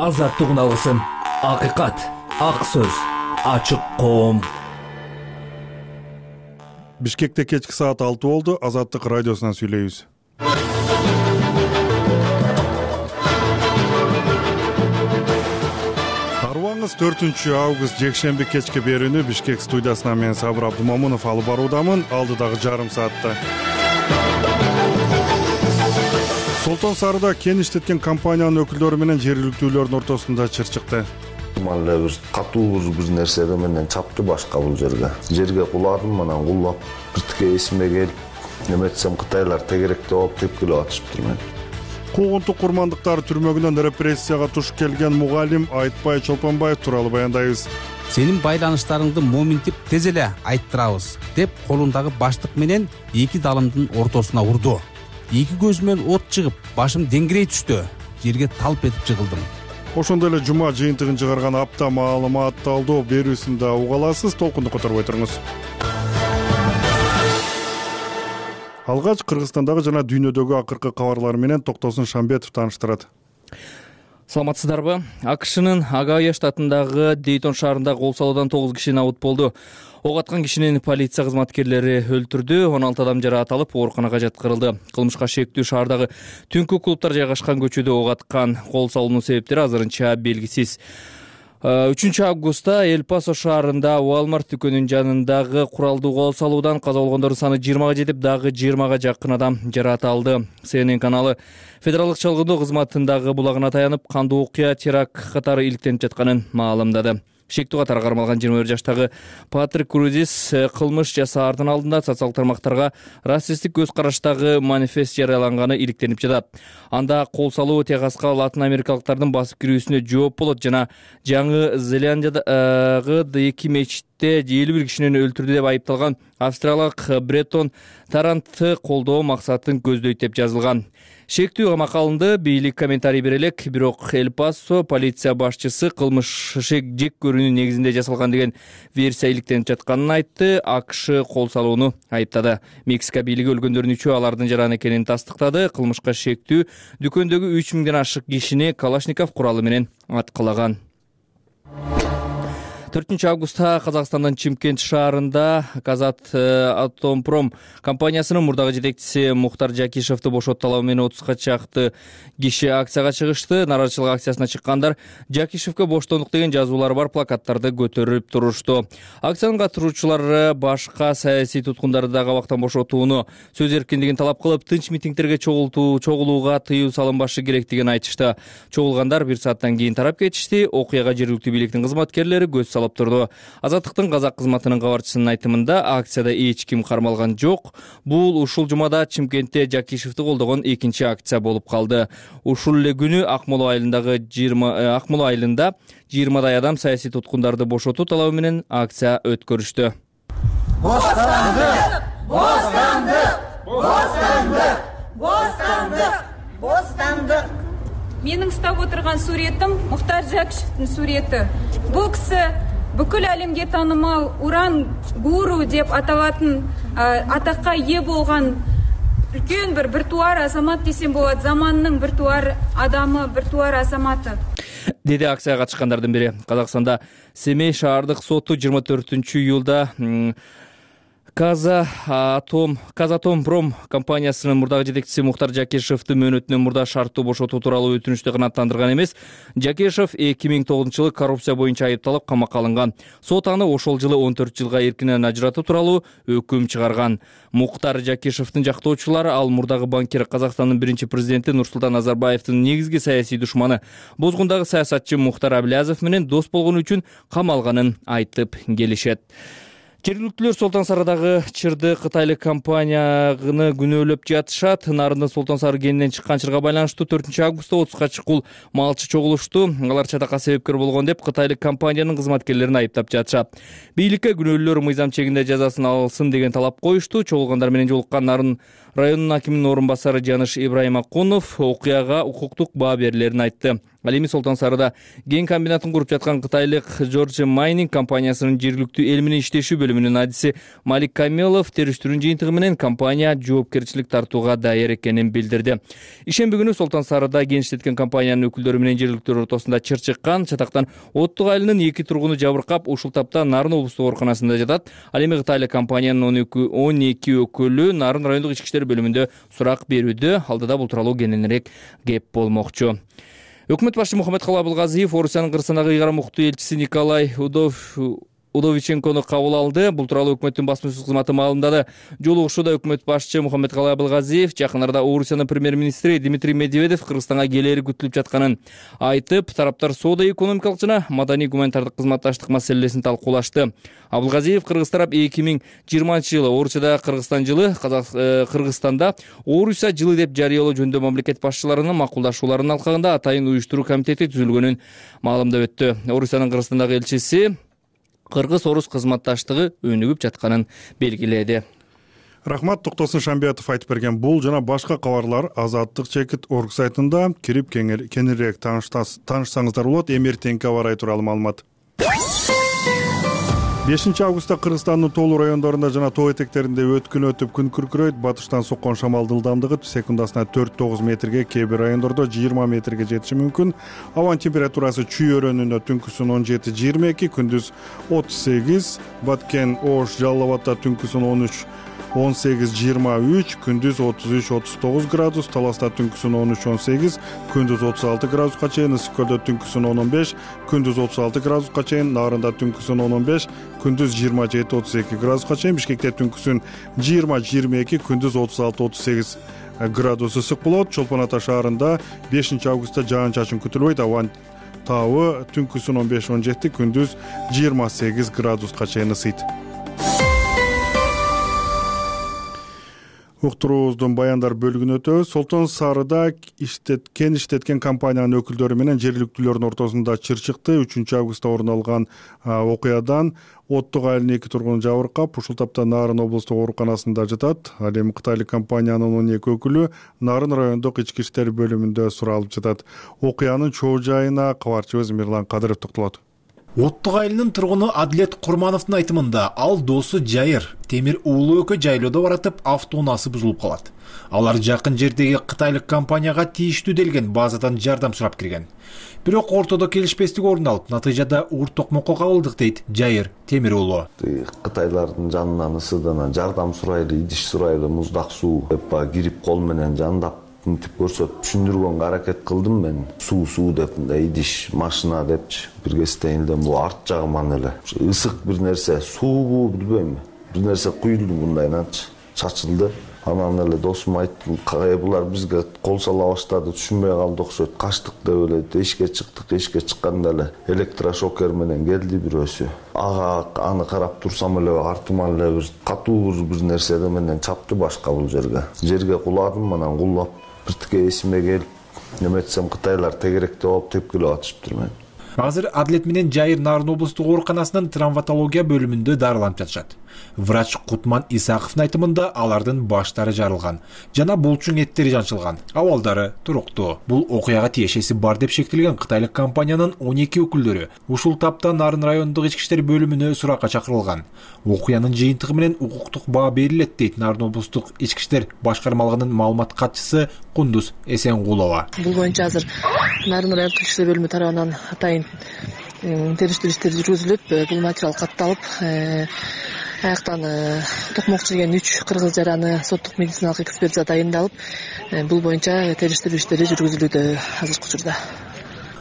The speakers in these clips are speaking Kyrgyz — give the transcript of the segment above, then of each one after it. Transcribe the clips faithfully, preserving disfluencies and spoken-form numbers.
Азаттыгын алгысың. Акыйкат, ак сөз, ачык коом. Бишкекте кечки саат алты болду. Азаттык радиосунан сүйлөйбүз. Арыбаңыз төртүнчү август жекшемби кечки берүүнү Бишкек студиясынан мен Сабыр Абдумамунов алып баруудамын. Алдыдагы жарым саатта Солтон Сарыда кен иштеткен компаниянын өкүлдөрү менен жергиликтүүлөрдүн ортосунда чыр чыкты. Мында бир катуу бир нерсе менен чапты башка бул жерге. Жерге куладым, анан кулап, биртике эсиме келип, неметсем Кытайлар тегеректе болуп тепкилеп атышыптыр мен. Куугунтук курмандыктар түрмөгүнөн репрессияга туш келген мугалим Айтбай Чолпонбаев тууралуу баяндайбыз. Сенин байланыштарыңды моминтип тез эле айттырабыз деп колундагы баштык менен эки далымдын ортосуна урду. Эки көзүмөн от чыгып, башым деңгирей түштү. Жерге талп этип жыгылдым. Ошондой эле жума жыйынтыгын чыгарган апта маалымат талдоо берүүсүндө уга аласыз. Толкунду которбой туруңуз. Алгач Кыргызстандагы жана дүйнөдөгү акыркы кабарлар менен Токтосун Шамбетов тааныштырат. Саламатсыздарбы? АКШнын Огайо штатындагы Дейтон шаарында кол салуудан тогуз киши набыт болду. Ок аткан кишинин полиция кызматкерлери өлтүрдү, он алты адам жарааталып, ооруканага жаткырылды. Кылмышка шектүү шаардагы түнкү клубтар жайгашкан көчөдө ок аткан. Кол салуунун себептери азырынча белгисиз. үчүнчү августта Эль Пасо шаарында Walmart дүкөнүнүн жанындагы куралдуу кол салуудан каза болгондордун саны жыйырмага жетип, дагы жыйырмага жакын адам жараат алды. Си Эн Эн каналы федералдык чалгындоо кызматындагы булагына таянып, кандуу окуя теракт катары иликтенип жатканын маалымдады. Шектүү катары кармалган жыйырма бир жаштагы Патрик Крузис кылмыш жасаардын алдында социалдык тармактарга расисттик көз караштагы манифест жарыяланганы иликтенип жатат. Анда кол салуу Техаска латын америкалыктардын басып кирүүсүнө жооп болот жана Жаңы Зеландиядагы эки мечитте элүү бир кишини өлтүрдү деп айыпталган австралиялык Бреттон Тарантты колдоо максатын көздөйт деп жазылган. Шектүү камакка алынды. Бийлик комментарий бере элек, бирок Эль Пасо полиция башчысы кылмыш жек көрүүнүн негизинде жасалган деген версия иликтенип жатканын айтты. АКШ кол салууну айыптады. Мексика бийлиги өлгөндөрдүн үчөө алардын жаран экенин тастыктады. Кылмышка шектүү дүкөндөгү үч миңден ашык кишини Калашников куралы менен аткылаган. төртүнчү августта Казакстандын Чымкент шаарында Казатомпром компаниясынын мурдагы жетекчиси Мухтар Жакишевди бошот талабы менен отузга чакты киши акцияга чыгышты. Нааразычылык акциясына чыккандар Жакишевге боштондук деген жазуулары бар плакаттарды көтөрүп турушту. Акциянын катышуучулары башка саясий туткундарды да кабактан бошотууну, сөз эркиндигин талап кылып, тынч митингдерге чогулууга тыюу салынбашы керектигин айтышты. Чогулгандар бир сааттан кийин тарап кетишти. Окуяга жергиликтүү бийликтин кызматкерлери көз салып турду. Азаттыктын казак кызматынын кабарчысынын айтымында, акцияда эч ким кармалган жок. Бул ушул жумада Чымкентте Жакишевди колдогон экинчи акция болуп калды. Ушул эле күнү Акмола айылындагы жыйырма Акмола айылында жыйырмадай адам саясий туткундарды бошотуу талабы менен акция өткөрүштү. Бостандык! Бостандык! Бостандык! Бостандык! Бостандык! Менин ұстап отырған суретім Мухтар Жакишевдин сурети. Бул киши бүкүл әлемге танымал уран гуру деп аталатын атакка ээ болгон үлкөн бир биртуар азамат десем болот. Заманның биртуар адамы, биртуар азаматы. Деди акцияга катышкандардын бири. Казакстанда Семей шаардык соту жыйырма төртүнчү июлда Казатом Казатомпром компаниясынын мурдагы жетекчиси Мухтар Жакишевди мөөнөтүнөн мурда шарттуу бошотуу тууралуу өтүнүштү канааттандырган эмес. Жакишев эки миң тогузунчу жылы коррупция боюнча айыпталып камакка алынган. Сот аны ошол жылы он төрт жылга эркинен ажыратуу тууралуу өкүм чыгарган. Мухтар Жакишевдин жактоочулары ал мурдагы банкир, Казакстандын биринчи президенти Нурсултан Назарбаевдин негизги саясий душманы, Бозгундагы саясатчы Мухтар Аблязов менен дос болгону үчүн камалганын айтып келишет. Жергиликтүүлөр Солтон Сарыдагы чырды кытайлык компанияны күнөөлөп жатышат. Нарындын Солтон Сары кенинен чыккан чырга байланыштуу төртүнчү августта отузга чукул малчы чогулушту. Алар чатакка себепкер болгон деп кытайлык компаниянын кызматкерлерин айыптап жатышат. Бийликке күнөөлүүлөр мыйзам чегинде жазасын алсын деген талап коюшту. Чогулгандар менен жолуккан Нарын районунун акиминин орун басары Жаныш Ибраим Акунов окуяга укуктук баа берилерин айтты. Ал эми Солтон Сарыда кен комбинатын куруп жаткан кытайлык Georgia Mining компаниясынын жергиликтүү эл менен иштешүү бөлүмүнүн адиси Малик Камилов териштирүүнүн жыйынтыгы менен компания жоопкерчилик тартууга даяр экенин билдирди. Ишемби күнү Солтон Сарыда кен иштеткен компаниянын өкүлдөрү менен жергиликтүү ортосунда чыр чыккан. Чатактан Оттук айылынын эки тургуну жабыркап, ушул тапта Нарын облустук ооруканасында жатат. Ал эми кытайлык компаниянын он эки өкүлү Нарын райондук ички иштер бөлүмүндө сурак берүүдө. Алдыда бул тууралуу кененирээк кеп болмокчу. Өкмөт башчы Мухаммедкалый Абылгазиев Орусиянын Кыргызстандагы ыйгарым укуктуу элчиси Николай Удов Удовиченкону кабыл алды. Бул тууралуу өкмөттүн басма сөз кызматы маалымдады. Жолугушууда өкмөт башчы Мухаммедкалый Абылгазиев жакын арада Орусиянын премьер-министри Дмитрий Медведев Кыргызстанга келери күтүлүп жатканын айтып, тараптар соода-экономикалык жана маданий-гуманитардык кызматташтык маселелесин талкуулашты. Абылгазиев Кыргыз тарап эки миң жыйырманчы жылы Орусияда Кыргызстан жылы, Кыргызстанда Орусия жылы деп жарыялоо жөнүндө мамлекет башчыларынын макулдашууларынын алкагында атайын уюштуруу комитети түзүлгөнүн маалымдап өттү. Орусиянын Кыргызстандагы элчиси Кыргыз-Орус кызматташтыгы өнүгүп жатканын белгиледи. Рахмат, Токтосун Шамбиятов айтып берген бул жана башка кабарлар Азаттык чекит орг сайтында кирип кеңирээк таанышсаңыздар болот. Эми эртеңки аба ырайы тууралуу маалымат. бешинчи августта Кыргызстандын тоолуу райондорунда жана тоо этектеринде өткүн өтүп күн күркүрөйт. Батыштан соккон шамалдын ылдамдыгы секундасына төрт тогуз метрге, кээ бир райондордо жыйырма метрге жетиши мүмкүн. Абанын температурасы чүй өрөөнүндө түнкүсүн он жети жыйырма эки, күндүз отуз сегиз, Баткен, Ош, Жалал Абадта түнкүсүн он үч он сегиз жыйырма үч, күндүз отуз үч отуз тогуз градус, Таласта түнкүсүн он үч он сегиз, күндүз отуз алты градуска чейин, Ысык көлдө түнкүсүн он он беш, күндүз отуз алты градуска чейин, Нарында түнкүсүн он он беш, күндүз жыйырма жети отуз эки градуска чейин, Бишкекте түнкүсүн жыйырма жыйырма эки, күндүз отуз алты отуз сегиз градус ысык болот. Чолпон Ата шаарында бешинчи августта жаан чачын күтүлбөйт. Абанын табы түнкүсүн он беш он жети, күндүз жыйырма сегиз градуска чейин ысыйт. Уктуруубуздун баяндар бөлүгүнө өтөбүз. Солтон Сарыда иштет, кен иштеткен компаниянын өкүлдөрү менен жергиликтүүлөрдүн ортосунда чыр чыкты. үчүнчү августта орун алган окуядан Оттук айылынын эки тургуну жабыркап, ушул тапта Нарын облустук ооруканасында жатат. Ал эми кытайлык компаниянын он эки өкүлү Нарын райондук ички иштер бөлүмүндө суралып жатат. Окуянын чоо жайына кабарчыбыз Мирлан Кадыров токтолот. Оттук айылынын тургуну Адилет Курмановдун айтымында, ал досу Жайыр темир уулу экөө жайлоодо баратып автоунаасы бузулуп калат. Алар жакын жердеги кытайлык компанияга тийиштүү делген базадан жардам сурап кирген. Бирок ортодо келишпестик орун алып, натыйжада уур токмокко кабылдык дейт Жайыр темир уулу. Кытайлардын жанынан ысыдана жардам сурайлы, идиш сурайлы, муздак суу деп кирип кол менен жандап мынтип көрсөтүп түшүндүргөнгө аракет кылдым мен. Суу суу деп, идиш, машина депчи. Бир кезден бул арт жагыман эле ысык бир нерсе, суубу билбейм. Бир нерсе куюлду мындайнанчы, чачылды. Анан эле досум айтты, булар бизге кол сала баштады, түшүнбөй калды окшойт. Качтык деп эле эшикке чыктык, эшикке чыкканда эле электрошокер менен келди бирөөсү. Ага аны карап турсам эле артыма эле бир катуу бир нерсе менен чапты башка бул жерге. Жерге куладым, анан кулап биртике эсиме келип, неметсем кытайлар тегеректе болуп тепкилеп атышыптыр мен. Азыр Адилет менен Жайыр Нарын облустук ооруканасынын травматология бөлүмүндө дарыланып жатышат. Врач Кутман Исаковдун айтымында алардын баштары жарылган жана булчуң эттери жанчылган, абалдары туруктуу. Бул окуяга тиешеси бар деп шектелген кытайлык компаниянын он эки өкүлдөрү ушул тапта Нарын райондук ички иштер бөлүмүнө суракка чакырылган. Окуянын жыйынтыгы менен укуктук баа берилет дейт Нарын облустук ички иштер башкармалыгынын маалымат катчысы Кундуз Эсенгулова. Бул боюнча азыр Нарын райондук ички иштер бөлүмү тарабынан атайын териштирүү иштери жүргүзүлүп, бул материал катталып, аяктан токмокчу деген үч кыргыз жараны соттук медициналык экспертиза дайындалып, бул боюнча териштирүү иштери жүргүзүлүүдө азыркы учурда.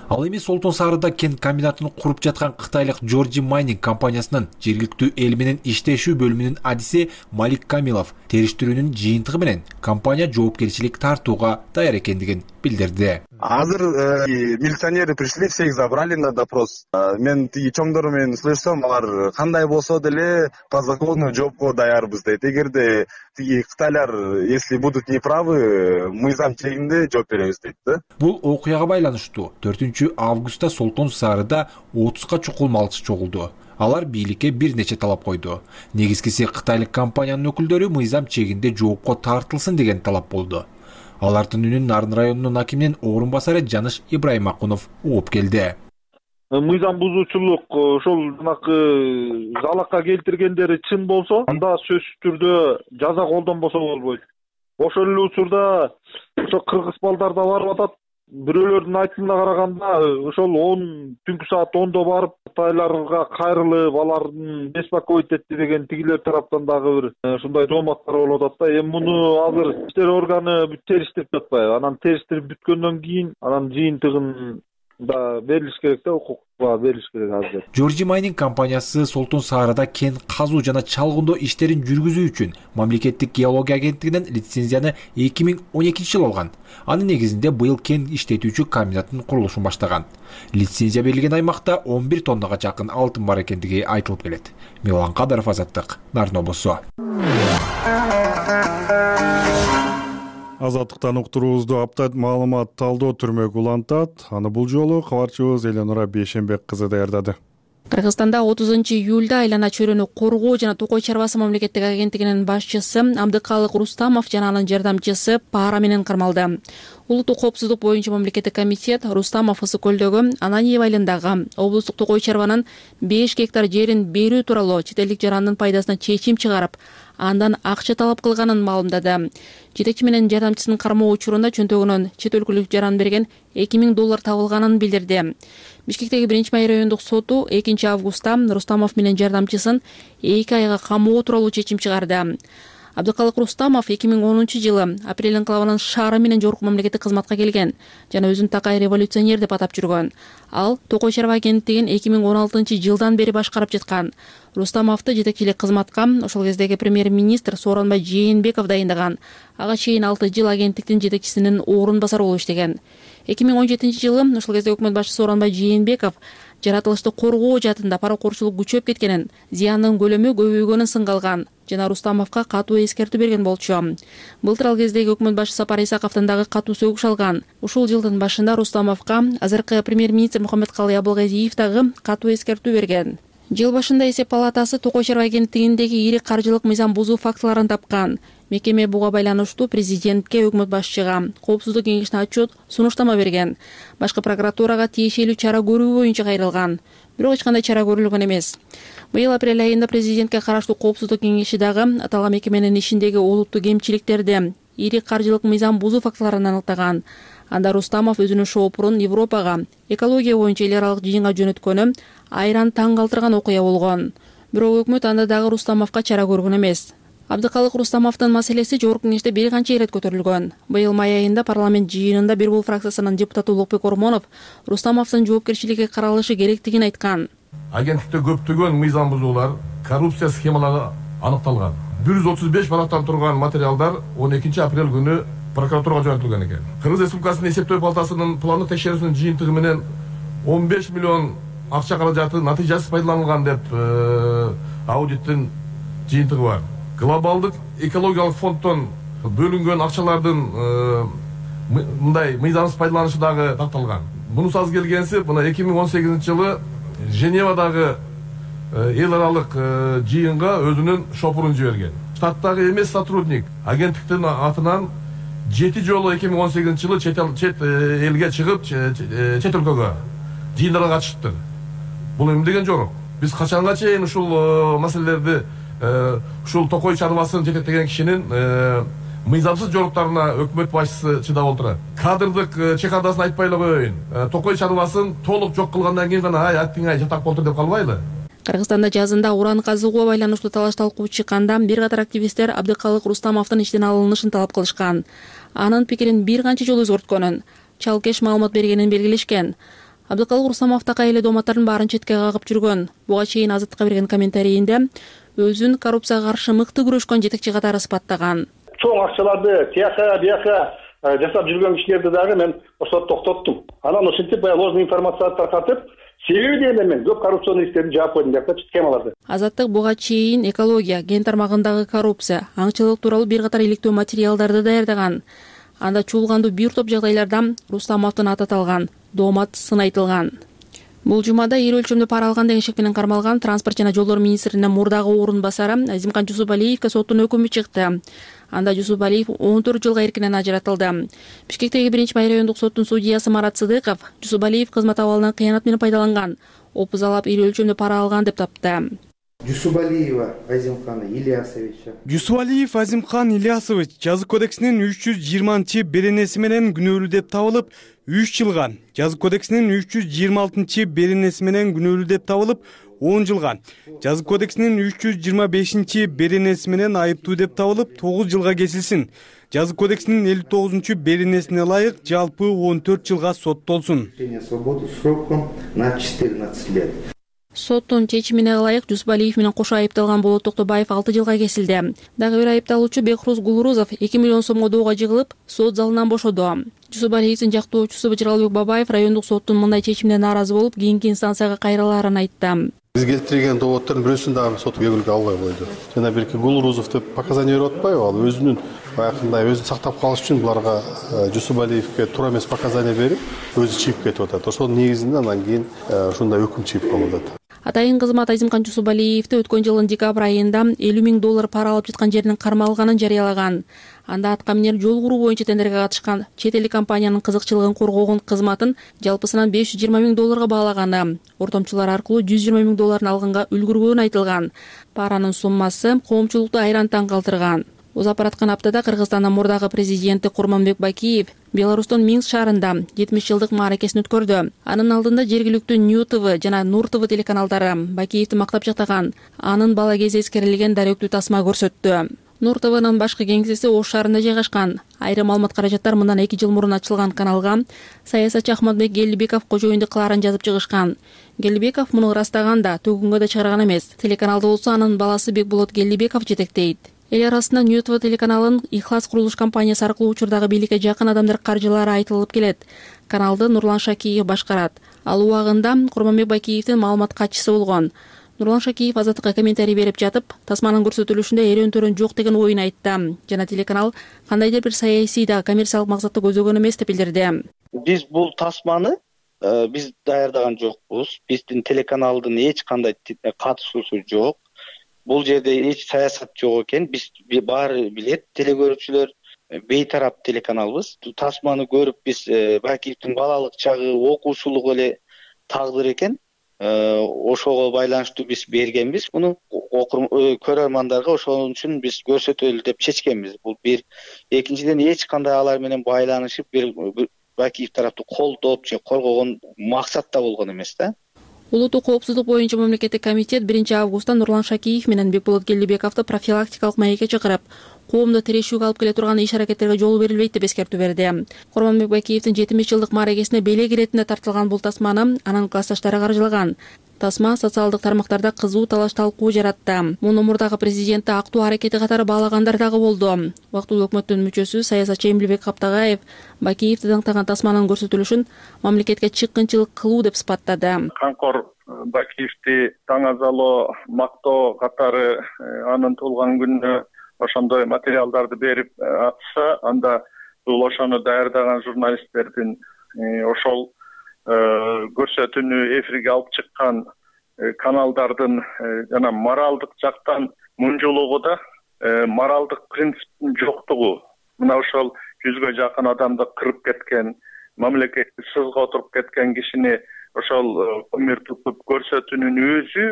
Ал эми Солтон Сарыда кен комбинатын куруп жаткан кытайлык Georgia Mining компаниясынын жергиликтүү эл менен иштешүү бөлүмүнүн адиси Малик Камилов териштирүүнүн жыйынтыгы менен компания жоопкерчилик тартууга даяр экендигин билдирди. Азыр милиционеры пришли, всех забрали на допрос. Мен тиги чоңдору менен слышсам, алар кандай болсо деле по закону жоопко даярбыз дейт. Эгерде тиги кытайлар если будут неправы, мыйзам чегинде жооп беребиз дейт да. Бул окуяга байланыштуу төртүнчү августта Солтон Сарыда отузга чукул малчы чогулду. Алар бийликке бир нече талап койду. Негизгиси кытайлык компаниянын өкүлдөрү мыйзам чегинде жоопко тартылсын деген талап болду. Алардын үнүн Нарын районунун акиминин орун басары Жаныш Ибрайымакунов угуп келди. Мыйзам бузуучулук ошол жанакы залакка келтиргендери чын болсо, анда сөзсүз түрдө жаза колдонбосо болбойт. Ошол эле учурда ошо кыргыз балдар да барып атат. Бирөөлөрдүн айтымына караганда, ошол он түнкү саат ондо барып Кытайларга кайрылып, алардын беспокоить этти деген тигилер тараптан дагы бир ушундай дооматтар болуп атат да. Эми муну азыр иштер органы териштирип жатпайбы? Анан териштирип бүткөндөн кийин анан жыйынтыгын да берилиш керек да, укукка берилиш керек азыр. Жоржи Майнинг компаниясы Солтун Саарада кен казуу жана чалгындоо иштерин жүргүзүү үчүн мамлекеттик геология агенттигинен лицензияны эки миң он экинчи жылы алган. Анын негизинде быйыл кен иштетүүчү комбинаттын курулушун баштаган. Лицензия берилген аймакта он бир тоннага жакын алтын бар экендиги айтылып келет. Милан Кадыров, Азаттык, Нарын облусу. Азаттыктан уктуруубузду апта маалымат талдоо түрмөк улантат. Аны бул жолу кабарчыбыз Эленора Бейшенбек кызы даярдады. Кыргызстанда отузунчу июлда айлана чөйрөнү коргоо жана токой чарбасы мамлекеттик агенттигинин башчысы Абдыкалык Рустамов жана анын жардамчысы пара менен кармалды. Улуттук коопсуздук боюнча мамлекеттик комитет Рустамов Ысык көлдөгү Ананьев айылындагы облустук токой чарбанын беш гектар жерин берүү тууралуу чет элдик жарандын пайдасына чечим чыгарып, андан акча талап кылганын маалымдады. Жетекчи менен жардамчысынын кармоо учурунда чөнтөгүнөн чет өлкөлүк жаран берген эки миң доллар табылганын билдирди. Бишкектеги биринчи май райондук соту экинчи августта Рустамов менен жардамчысын эки айга камоо тууралуу чечим чыгарды. Абдыкалык Рустамов эки миң онунчу жылы апрель энклавынын шаары менен жогорку мамлекеттик кызматка келген жана өзүн такай революционер деп атап жүргөн. Ал токой чарба агенттигин эки миң он алтынчы жылдан бери башкарып жаткан. Рустамовду жетекчилик кызматка ошол кездеги премьер-министр Сооронбай Жээнбеков дайындаган. Ага чейин алты жыл агенттиктин жетекчисинин орун басары болуп иштеген. эки миң он жетинчи жылы ошол кезде өкмөт башчысы Сооронбай Жээнбеков жаратылышты коргоо жаатында паракорчулук күчөп кеткенин, зыяндын көлөмү көбөйгөнүн сынга алган жана Рустамовго катуу эскертүү берген болчу. Былтыр ал кездеги өкмөт башчысы Сапар Исаковдон дагы катуу сөгүш алган. Ушул жылдын башында Рустамовго азыркы премьер-министр Мухаммедкалый Абылгазиев дагы катуу эскертүү берген. Жыл башында эсеп палатасы токой чарба агенттигиндеги ири каржылык мыйзам бузуу фактыларын тапкан. Мекеме буга байланыштуу президентке, өкмөт башчыга, коопсуздук кеңешине отчет, сунуштама берген. Башкы прокуратурага тиешелүү чара көрүү боюнча кайрылган. Бирок эч кандай чара көрүлгөн эмес. Быйыл апрель айында президентке караштуу коопсуздук кеңеши дагы аталган мекеменин ишиндеги олуттуу кемчиликтерди, ири каржылык мыйзам бузуу фактыларын аныктаган. Анда Рустамов өзүнүн шоопурун Европага экология боюнча эл аралык жыйынга жөнөткөнү айран таң калтырган окуя болгон. Бирок өкмөт анда дагы Рустамовго чара көргөн эмес. Абдыкалык Рустамовдун маселеси жогорку кеңеште бир канча ирет көтөрүлгөн. Быйыл май айында парламент жыйынында Бир бул фракциясынын депутаты Улукбек Ормонов Рустамовдун жоопкерчиликке каралышы керектигин айткан. Агенттикте көптөгөн мыйзам бузуулар, коррупция схемалары аныкталган. бир жүз отуз беш барактан турган материалдар он экинчи апрель күнү прокуратурага жөнөтүлгөн экен. Кыргыз Республикасынын эсептөө палатасынын планы текшерүүсүнүн жыйынтыгы менен он беш миллион акча каражаты натыйжасыз пайдаланылган деп аудиттин жыйынтыгы бар. Глобалдык экологиялык фонддон бөлүнгөн акчалардын мындай мыйзамсыз пайдаланышы дагы такталган. Мунусу аз келгенси, мына эки миң он сегизинчи жылы Женевадагы эл аралык жыйынга өзүнүн шопурун жиберген. Штаттагы эмес сотрудник агенттиктин атынан жети жолу эки миң он сегизинчи жылы чет элге чыгып, чет өлкөгө жыйындарга катышыптыр. Бул эме деген жок. Биз качанга чейин ушул маселелерди ушул токой чарбасын жетектеген кишинин мыйзамсыз жоруктарына өкмөт башчысы чыдап отурат. Кадрдык чекадасын айтпай эле коеюн. Токой чарбасын толук жок кылгандан кийин гана ай аттиңай жатак болтур деп калбайлы. Кыргызстанда жазында уран казууга байланыштуу талаш талкуу чыкканда бир катар активисттер Абдыкалык Рустамовдун иштен алынышын талап кылышкан. Анын пикирин бир канча жолу өзгөрткөнүн, чалкеш маалымат бергенин белгилешкен. Абдыкалык Рустамов такай эле дооматтардын баарын четке кагып жүргөн. Буга чейин Азаттыкка берген комментарийинде өзүн коррупцияга каршы мыкты күрөшкөн жетекчи катары сыпаттаган. Чоң акчаларды тияка бияка жасап жүргөн кишилерди дагы мен ошо токтоттум. Анан ошентип баягы ложный информация таркатып, себеби дене мен көп коррупционный иштерди жаап койдум деп схемаларды. Азаттык буга чейин экология, ген тармагындагы коррупция, аңчылык тууралуу бир катар иликтөө материалдарды даярдаган. Анда чуулгандуу бир топ жагдайларда Рустамовдун аты аталган, доомат сын айтылган. Бул жумада ири өлчөмдө пара алган деген шек менен кармалган транспорт жана жолдор министринин мурдагы орун басары Азимкан Жусупалиевге соттун өкүмү чыкты. Анда Жусупалиев он төрт жылга эркинен ажыратылды. Бишкектеги биринчи Бай райондук соттун судьясы Марат Сыдыков Жусупалиев кызмат абалынан кыянат менен пайдаланган, опузалап ири өлчөмдө пара алган деп тапты. Жусупалиева Азимхан Ильясовича. Жусупалиев Азимхан Ильясович жаза кодексинин үч жүз жыйырманчы беренеси менен күнөөлүү деп табылып үч жылга, жаза кодексинин үч жүз жыйырма алтынчы беренеси менен күнөөлүү деп табылып он жылга, жаза кодексинин үч жүз жыйырма бешинчи беренеси менен айыптуу деп табылып тогуз жылга кесилсин. Жаза кодексинин элүү тогузунчу беренесине ылайык жалпы он төрт жылга соттолсун. Свободу сроком на четырнадцать лет. Соттун чечимине ылайык Жусупалиев менен кошо айыпталган Болот Токтобаев алты жылга кесилди. Дагы бир айыпталуучу Бекрус Гулурузов эки миллион сомго доого жыгылып, сот залынан бошоду. Жусупалиевдин жактоочусу Бычыралбек Бабаев райондук соттун мындай чечимине нааразы болуп, кийинки инстанцияга кайрылаарын айтты. Биз келтирген доводдордун бирөөсүн дагы сот көңүлгө албай койду. Жана бирки Гулурузов деп показания берип атпайбы, ал өзүнүн баягындай өзүн сактап калыш үчүн буларга Жусупалиевке туура эмес показания берип, өзү чыгып кетип атат. Ошонун негизинде анан кийин ушундай өкүм чыгып калып атат. Атайын кызмат Азимхан Жусупалиевди өткөн жылдын декабрь айында элүү миң доллар пара алып жаткан жеринин кармалганын жарыялаган. Анда атка минер жол куруу боюнча тендерге катышкан чет элдик компаниянын кызыкчылыгын коргогон кызматын жалпысынан беш жүз жыйырма миң долларга баалаганы, ортомчулар аркылуу жүз жыйырма миң долларын алганга үлгүргөнү айтылган. Паранын суммасы коомчулукту айран таң калтырган. Узап бараткан аптада Кыргызстандын мурдагы президенти Курманбек Бакиев Беларустун Минск шаарында жетимиш жылдык мааракесин өткөрдү. Анын алдында жергиликтүү Нью ТВ жана Нур ТВ телеканалдары Бакиевди мактап жактаган, анын бала кези эскерилген даректүү тасма көрсөттү. Нур ТВнын башкы кеңсеси Ош шаарында жайгашкан. Айрым маалымат каражаттар мындан эки жыл мурун ачылган каналга саясатчы Ахматбек Гелибеков кожоюнду кылаарын жазып чыгышкан. Гелибеков муну ырастаганда төгүнгө да чыгарган эмес. Телеканалды болсо анын баласы Бекболот Гелибеков жетектейт. Эл арасында Нью ТВ телеканалын Ихлас курулуш компаниясы аркылуу учурдагы бийликке жакын адамдар каржылары айтылып келет. Каналды Нурлан Шакиев башкарат. Ал убагында Курманбек Бакиевдин маалымат катчысы болгон. Нурлан Шакиев Азаттыкка комментарий берип жатып, тасманын көрсөтүлүшүндө эрен-төрөн жок деген оюн айтты. Жана телеканал кандайдыр бир саясий да коммерциялык максатты көзөгөн эмес деп билдирди. Биз бул тасманы биз даярдаган жокпуз. Биздин телеканалдын эч кандай катышуусу жок. Бул жерде эч саясат жок экен. Биз баары билет, телекөрүүчүлөр бейтарап телеканалбыз. Тасманы көрүп биз Бакиевдин балалык чагы, окуучулугу эле тагдыр экен. Ошого байланыштуу биз бергенбиз. Муну көрөрмандарга ошон үчүн биз көрсөтөлү деп чечкенбиз. Бул бир. Экинчиден эч кандай алар менен байланышып бир Бакиев тараптуу колдоп же коргогон максатта болгон эмес да. Улуттук коопсуздук боюнча мамлекеттик комитет биринчи августта Нурлан Шакиев менен Бекболот Гелибековду профилактикалык маекке чакырып, коомдо тирешүүгө алып келе турган иш-аракеттерге жол берилбейт деп эскертүү берди. Курманбек Бакиевдин жетимиш жылдык мааракесине белек иретинде тартылган бул тасманы анын классташтары каржылаган. Тасма социалдык тармактарда кызуу талаш талкуу жаратты. Муну мурдагы президентти актуу аракети катары баалагандар дагы болду. Убактылуу өкмөттүн мүчөсү саясатчы Эмилбек Каптагаев Бакиевди даңктаган тасманын көрсөтүлүшүн мамлекетке чыккынчылык кылуу деп сыпаттады. Канкор Бакиевди таңазалоо, мактоо катары анын туулган күнүнө ошондой материалдарды берип атса, анда бул ошону даярдаган журналисттердин ошол көрсөтүүнү эфирге алып чыккан каналдардын жана моралдык жактан мунжулугу да, моралдык принциптин жоктугу. Мына ошол жүзгө жакын адамды кырып кеткен, мамлекетти сызга отуруп кеткен кишини ошол көмүр тутуп көрсөтүүнүн өзү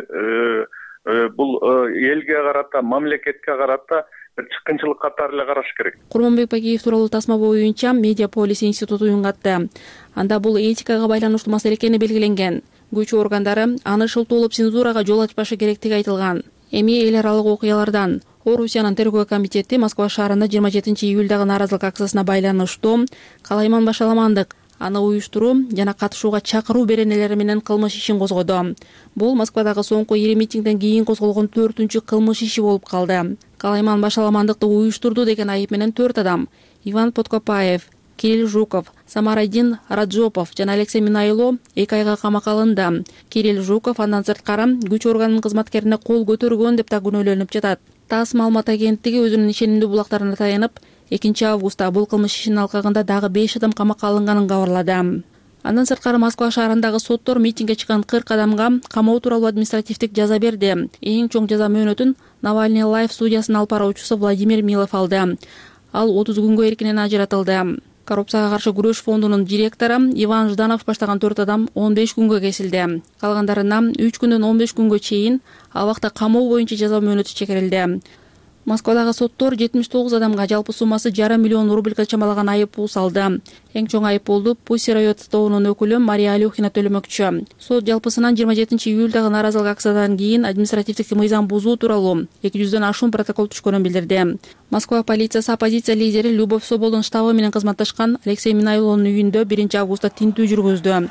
бул элге карата, мамлекетке карата бир чыккынчылык катары эле караш керек. Курманбек Бакиев тууралуу тасма боюнча Медиаполис институту уюн катты. Анда бул этикага байланыштуу маселе экени белгиленген. Күч органдары аны шылтоолоп цензурага жол ачпашы керектиги айтылган. Эми эл аралык окуялардан Орусиянын тергөө комитети Москва шаарында жыйырма жетинчи июлдагы нааразылык акциясына байланыштуу Калайман Башаламандык, аны уюштуруу жана катышууга чакыруу беренелери менен кылмыш ишин козгоду. Бул Москвадагы соңку ири митингден кийин козголгон төртүнчү кылмыш иши болуп калды. Калайман Башаламандыкты уюштурду деген айып менен төрт адам — Иван Подкопаев, Кирилл Жуков, Самарадин Раджопов жана Алексей Минайло эки айга камакка алынды. Кирилл Жуков андан сырткары күч органынын кызматкерине кол көтөргөн деп да күнөөлөнүп жатат. ТАСС маалымат агенттиги өзүнүн ишенимдүү булактарына таянып, экинчи августта бул кылмыш ишинин алкагында дагы беш адам камакка алынганын кабарлады. Андан сырткары Москва шаарындагы соттор митингге чыккан кырк адамга камоо тууралуу административдик жаза берди. Эң чоң жаза мөөнөтүн Навальный Лайф студиясынын алып баруучусу Владимир Милов алды. Ал отуз күнгө эркинен ажыратылды. Коррупцияга каршы күрөш фондунун директору Иван Жданов баштаган төрт адам он беш күнгө кесилди. Калгандарына үч күндөн он беш күнгө чейин абакта камоо боюнча жаза мөөнөтү чегерилди. Москвадагы соттор жетимиш тогуз адамга жалпы суммасы жарым миллион рубльга чамалаган айып пул салды. Эң чоң айып пулду Pussy Riot тобунун өкүлү Мария Алюхина төлөмөкчү. Сот жалпысынан жыйырма жетинчи июлдагы нааразылык акциядан кийин административдик мыйзам бузуу тууралуу эки жүздөн ашуун протокол түшкөнүн билдирди. Москва полициясы оппозиция лидери Любовь Соболдун штабы менен кызматташкан Алексей Минайловдун үйүндө биринчи августта тинтүү жүргүздү.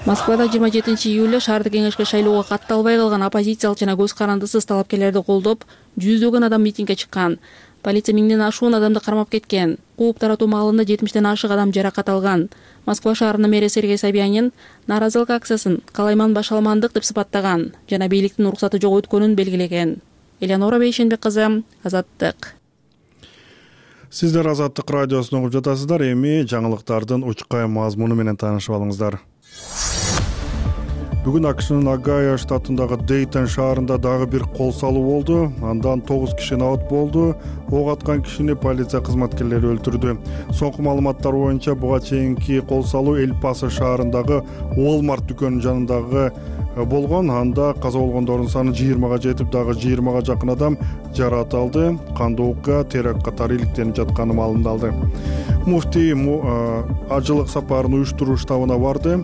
Москвада жыйырма жетинчи июлда шаардык кеңешке шайлоого катталбай калган оппозициялык жана көз карандысыз талапкерлерди колдоп, жүздөгөн адам митингге чыккан. Полиция миңден ашуун адамды кармап кеткен. Кууп таратуу маалында жетимиштен ашык адам жаракат алган. Москва шаарынын мэри Сергей Собянин нааразылык акциясын калайман башаламандык деп сыпаттаган жана бийликтин уруксаты жок өткөнүн белгилеген. Элеонора Бейшенбек кызы, Азаттык. Сиздер Азаттык радиосун угуп жатасыздар. Эми жаңылыктардын учкай мазмуну менен таанышып алыңыздар. Бүгүн АКШнын Огайо штатындагы Дейтон шаарында дагы бир кол салуу болду. Андан тогуз киши абат болду. Ок аткан кишини полиция кызматкерлери өлтүрдү. Соңку маалыматтар боюнча буга чейинки кол салуу Эль-Пасо шаарындагы Walmart дүкөнүнүн жанындагы болгон. Анда каза болгондордун саны жыйырмага жетип, дагы жыйырмага жакын адам жаракат алды. Кандоокка теракт катары иликтенип жатканы маалымдалды. Муфтий ажылык сапарын уюштуруу штабына барды.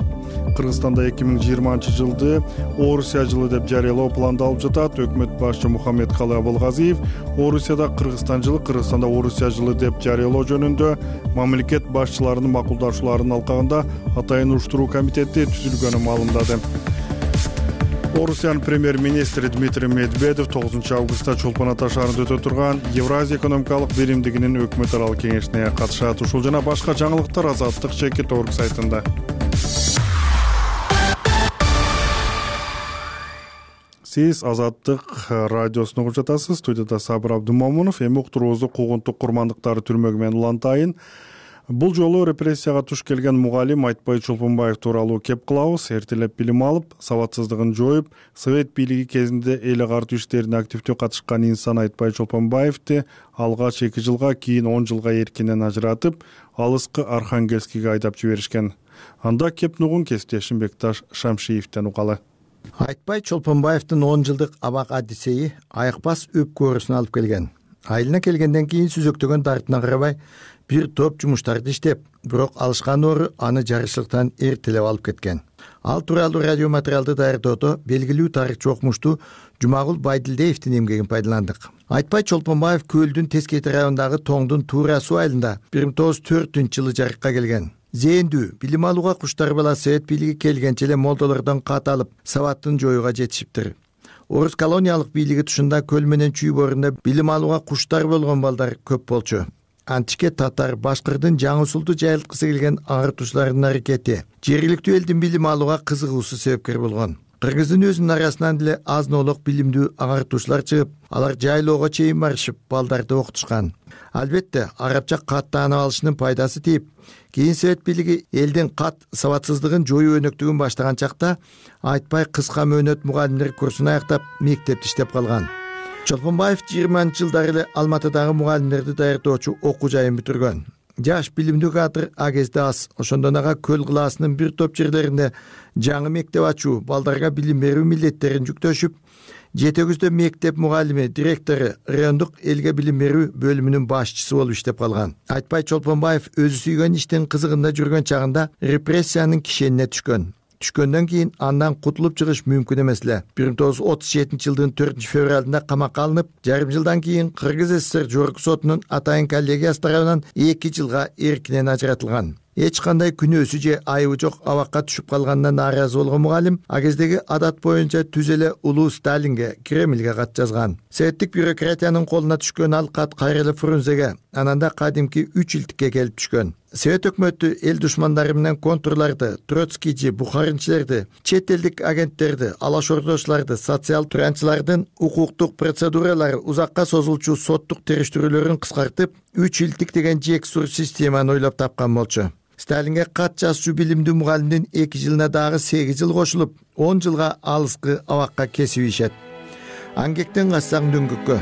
Кыргызстанда эки миң жыйырманчы жылды Орусия жылы деп жарыялоо пландалып жатат. Өкмөт башчы Мухаммедкалы Абылгазиев Орусияда Кыргызстан жылы, Кыргызстанда Орусия жылы деп жарыялоо жөнүндө мамлекет башчыларынын макулдашууларынын алкагында атайын уюштуруу комитети түзүлгөнүн маалымдады. Орусиянын премьер-министри Дмитрий Медведев тогузунчу августта Чолпон Ата шаарында өтө турган Евразия экономикалык биримдигинин өкмөт аралык кеңешине катышат. Ушул жана башка жаңылыктар Азаттык чекит орг сайтында. Сиз Азаттык радиосун угуп жатасыз. Студияда Сабыр Абдумомунов. Эми уктуруубузду куугунтук курмандыктары түрмөгү менен улантайын. Бул жолу репрессияга туш келген мугалим Айтбай Чолпонбаев тууралуу кеп кылабыз. Эртелеп билим алып, сабатсыздыгын жоюп, совет бийлиги кезинде эл агартуу иштерине активдүү катышкан инсан Айтбай Чолпонбаевди алгач эки жылга, кийин он жылга эркинен ажыратып, алыскы Архангельскиге айдап жиберишкен. Анда кеп нугун кесиптешим Бекташ Шамшиевден угалы. Айтбай Чолпонбаевдин он жылдык абак адисеи айыкпас өпкөрүсүн алып келген. Айылына келгенден кийин сүзөктөгөн дартына карабай бир топ жумуштарды иштеп, бирок алышкан ору аны жарышлыктан эртелеп алып кеткен. Ал тууралуу радио материалды даярдоодо белгилүү тарыхчы окумуштуу Жумагул Байдилдеевдин эмгегин пайдаландык. Айтбай Чолпонбаев Көлдүн Тескейти районундагы Тоңдун Туура суу айылында бир миң тогуз жүз төртүнчү жылы жарыкка келген. Зээндүү, билим алууга куштар бала совет бийлиги келгенче эле молдолордон кат алып, сабаттын жоюуга жетишиптир. Орус колониялык бийлиги тушунда көл менен чүй борунда билим алууга куштар болгон балдар көп болчу. Античке татар, башкырдын жаңы усулду жайылткысы келген агартуучулардын аракети жергиликтүү элдин билим алууга кызыгуусу себепкер болгон. Кыргыздын өзүнүн арасынан деле аз-нолок билимдүү агартуучулар чыгып, алар жайлоого чейин барышып, балдарды окутушкан. Албетте, арабча кат таанып алышынын пайдасы тийип, кийин совет бийлиги элдин кат сабатсыздыгын жоюу өнөктүгүн баштаган чакта Айтбай кыска мөөнөт мугалимдер курсун аяктап, мектепте иштеп калган. Чолпонбаев жыйырманчы жылдары эле Алматыдагы мугалимдерди даярдоочу окуу жайын бүтүргөн. Жаш билимдүү кадр а кезде аз. Ошондон ага Көл кылаасынын бир топ жерлеринде жаңы мектеп ачуу, балдарга билим берүү милдеттерин жүктөшүп, жетегүздө мектеп мугалими, директору, райондук элге билим берүү бөлүмүнүн башчысы болуп иштеп калган. Айтбай Чолпонбаев өзү сүйгөн иштин кызыгында жүргөн чагында репрессиянын кишенине түшкөн. Түшкөндөн кийин андан кутулуп чыгыш мүмкүн эмес эле. бир миң тогуз жүз отуз жетинчи жылдын төртүнчү февралында камакка алынып, жарым жылдан кийин Кыргыз СССР жогорку сотунун атайын коллегиясы тарабынан эки жылга эркинен ажыратылган. эч кандай күнөөсү же айыбы жок абакка түшүп калганына нааразы болгон мугалим а кездеги адат боюнча түз эле улуу Сталинге, Кремльге кат жазган. Советтик бюрократиянын колуна түшкөн ал кат кайра эле Фрунзеге, анан да кадимки үч илтикке келип түшкөн. Совет өкмөтү эл душмандары менен контурларды, троцкийчи, бухаринчилерди, чет элдик агенттерди, алаш ордочуларды, социал туранчылардын укуктук процедуралары узакка созулчу соттук териштирүүлөрүн кыскартып, үч илтик деген жексур системаны ойлоп тапкан болчу. Сталинге кат жазчу билимдүү мугалимдин эки жылына дагы сегиз жыл кошулуп, он жылга алыскы абакка кесип ийишет. Аңгектен кассаң дөңгөккө.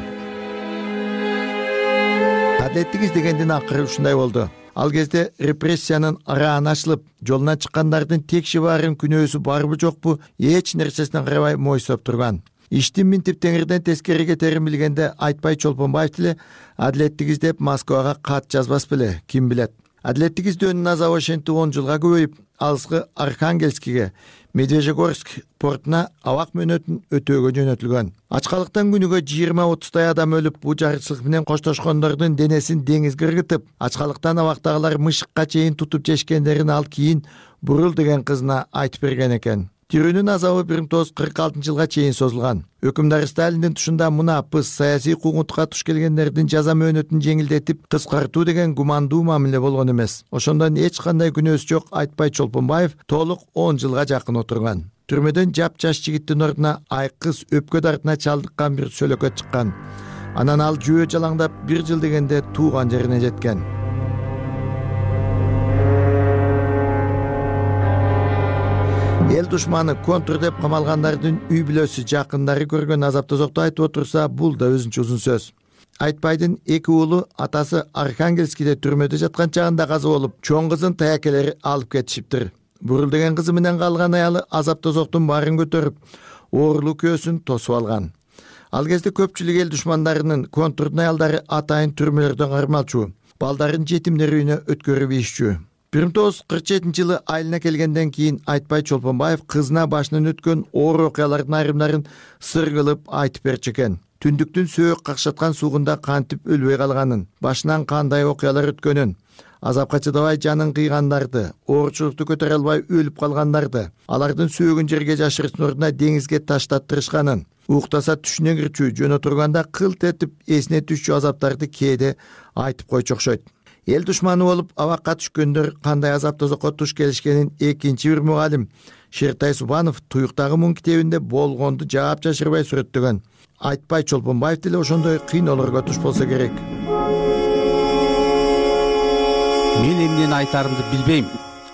Адилеттик издегендин акыры ушундай болду. Ал кезде репрессиянын арааны ачылып, жолуна чыккандардын текши баарын күнөөсү барбы жокпу эч нерсесине карабай мойсоп турган. Иштин минтип теңирден тескери кетерин билгенде Айтпай Чолпонбаев деле адилеттик издеп Москвага кат жазбас беле, ким билет. Адилеттик издөөнүн азабы ошентип он жылга көбөйүп, алыскы Архангельскиге, Медвежьегорск портуна абак мөөнөтүн өтөөгө жөнөтүлгөн. Ачкалыктан күнүгө жыйырма отуздай адам өлүп, бул жарычылык менен коштошкондордун денесин деңизге ыргытып, ачкалыктан абактагылар мышыкка чейин тутуп жешкендерин ал кийин Бурул деген кызына айтып берген экен. Тирүүнүн азабы бир миң тогуз жүз кырк алтынчы жылга чейин созулган. Өкүмдар Сталиндин тушунда мунапыс саясий куугунтукка туш келгендердин жаза мөөнөтүн жеңилдетип, кыскартуу деген гумандуу мамиле болгон эмес. Ошондон эч кандай күнөөсү жок Айтпай Чолпонбаев толук он жылга жакын отурган. Түрмөдөн жап-жаш жигиттин ордуна айкыз өпкө дартына чалдыккан бир сөлөкөт чыккан. Анан ал жөө жалаңдап бир жыл дегенде тууган жерине жеткен. Эл душманы контур деп камалгандардын үй бүлөсү, жакындары көргөн азап тозокту айтып отурса, бул да өзүнчө узун сөз. Айтпайдын эки уулу атасы Архангельскиде түрмөдө жаткан чагында каза болуп, чоң кызын таякелери алып кетишиптир. Бурул деген кызы менен калган аялы азап тозоктун баарын көтөрүп, оорулуу көөсүн тосуп алган. Ал кезде көпчүлүк эл душмандарынын контурдун аялдары атайын түрмөлөрдөн кармалчу, балдарын жетимдер үйүнө өткөрүп ийишчү. бир миң тогуз жүз кырк жетинчи жылы айылына келгенден кийин Айтпай Чолпонбаев кызына башынан өткөн оор окуялардын айрымдарын сыр кылып айтып берчү экен. Түндүктүн сөөк какшаткан суугунда кантип өлбөй калганын, башынан кандай окуялар өткөнүн, азапка чыдабай жанын кыйгандарды, оорчулукту көтөрө албай өлүп калгандарды, алардын сөөгүн жерге жашырыштын ордуна деңизге таштаттырышканын, уктаса түшүнө кирчү, жөн отурганда кылт этип эсине түшчү азаптарды кээде айтып койчу окшойт. Эл душманы болуп абакка түшкөндөр кандай азап тозокко туш келишкенин экинчи бир мугалим Шертай Субанов Туюктагы муң китебинде болгонду жаап жашырбай сүрөттөгөн. Айтпай Чолпонбаев деле ошондой кыйноолорго туш болсо керек. Мен эмнени айтарымды билбейм.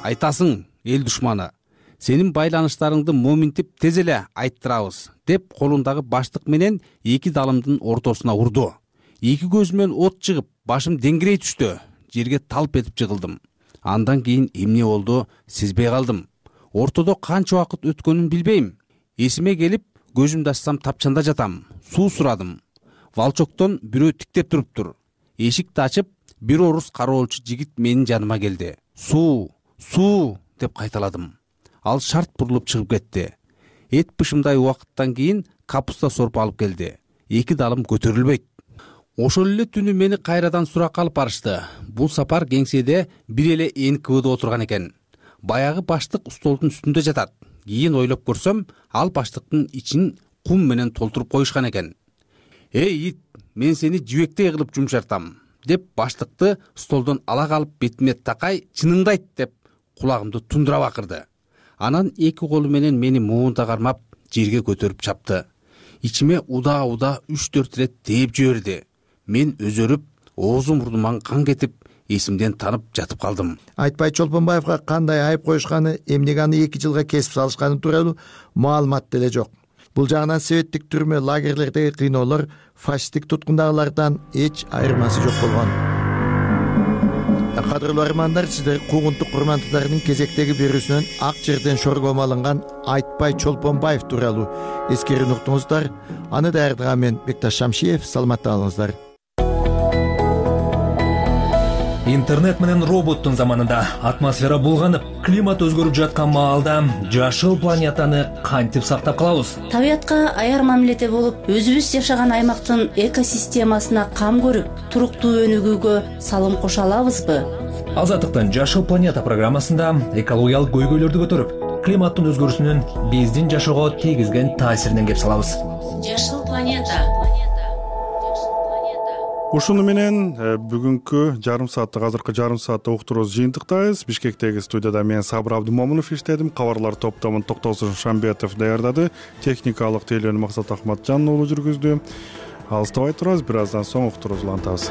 Айтасың, эл душманы. Сенин байланыштарыңды моминтип тез эле айттырабыз, деп колундагы баштык менен эки далымдын ортосуна урду. Эки көзүмөн от чыгып, башым деңгирей түштү. Жерге талп этип жыгылдым. Андан кийин эмне болду, сезбей калдым. Ортодо канча убакыт өткөнүн билбейм. Эсиме келип, көзүмдү ачсам тапчанда жатам. Суу сурадым. Валчоктон бирөө тиктеп туруптур. Эшикти ачып, бир орус кароолчу жигит менин жаныма келди. Суу, суу деп кайталадым. Ал шарт бурулуп чыгып кетти. Эт бышымдай убакыттан кийин капуста сорпу алып келди. Эки далым көтөрүлбөйт. Ошол эле түнү мени кайрадан суракка алып барышты. Бул сапар кеңседе бир эле эн ка вэ да отурган экен. Баягы баштык столдун үстүндө жатат. Кийин ойлоп көрсөм, ал баштыктын ичин кум менен толтуруп коюшкан экен. Эй ит, мен сени жибектей кылып жумшартам, деп баштыкты столдон ала калып бетиме такай чыныңды айт деп кулагымды тундура бакырды. Анан эки колу менен мени муунта кармап жерге көтөрүп чапты. Ичиме уда-уда үч төрт ирет тээп жиберди. Мен өзөрүп, оозум мурдуман кан кетип, эсимден танып жатып калдым. Айтпай Чолпонбаевга кандай айып коюшканы, эмнеге аны эки жылга кесип салышканы тууралуу маалымат деле жок. Бул жагынан советтик түрмө лагерлердеги кыйноолор фашисттик туткундагылардан эч айырмасы жок болгон. Кадырлуу армандар, сиздер куугунтук курмандыктардын кезектеги берүүсүнөн ак жерден шоргомо алынган Айтпай Чолпонбаев тууралуу эскерүүнү уктуңуздар. Аны даярдаган мен Бекташ Шамшиев. Саламатта калыңыздар. Интернет менен роботтун заманында атмосфера булганып, климат өзгөрүп жаткан маалда жашыл планетаны кантип сактап калабыз? Табиятка аяр мамиледе болуп, өзүбүз жашаган аймактын экосистемасына кам көрүп, туруктуу өнүгүүгө салым кошо алабызбы? Азаттыктын Жашыл планета программасында экологиялык көйгөйлөрдү көтөрүп, климаттын өзгөрүүсүнүн биздин жашоого тийгизген таасиринен кеп салабыз. Жашыл планета. Ушуну менен бүгүнкү жарым сааттык азыркы жарым саатта уктуруубузду жыйынтыктайбыз. Бишкектеги студияда мен Сабыр Абдымомунов иштедим. Кабарлар топтомун Токтосун Шамбетов даярдады. Техникалык тейлөөнү Максат Ахматжан уулу жүргүздү. Алыстабай турабыз, бир аздан соң уктуруубузду улантабыз.